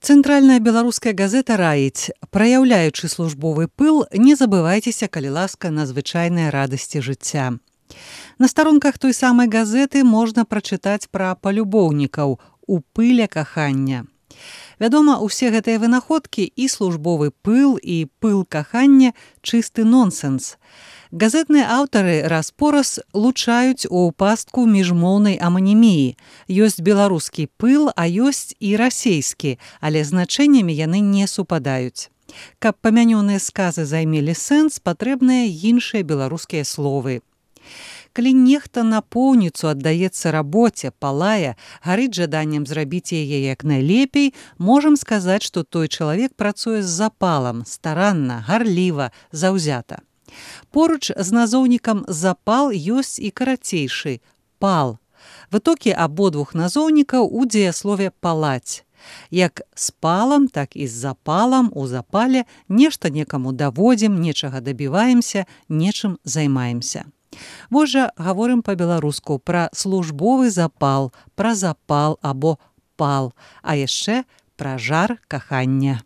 Цэнтральная беларуская газета раіць, праяўляючы службовы пыл, не забывайцеся, калі ласка, на звычайныя радасці жыцця. На старонках той самай газеты можна прачытаць пра палюбоўнікаў у пыле кахання. Вядома, усе гэтыя вынаходкі і службовы пыл, і пыл кахання чысты нонсенс. Газетныя аўтары раз-пораз лучаюць у пастку міжмоўнай аманіміі. Ёсць беларускі пыл, а ёсць і расейскі, але значэннямі яны не супадаюць. Каб памянёныя сказы займелі сэнс, патрэбныя іншыя беларускія словы. Калі нехта напоўніцу аддаецца рабоце, палае, гарыць жаданнем зрабіць яе як найлепей, можам сказаць, што той чалавек працуе з запалам, старанна, гарліва, заўзята. Поруч з назоўнікам запал ёсць і карацейшы пал. Вытокі абодвух назоўнікаў у дзеяслове палаць. Як з палам, так і з запалам у запале нешта некаму даводзім, нечага дабіваемся, нечым займаемся. Вось жа гаворым па-беларуску пра службовы запал, пра запал або пал, а яшчэ пра жар кахання.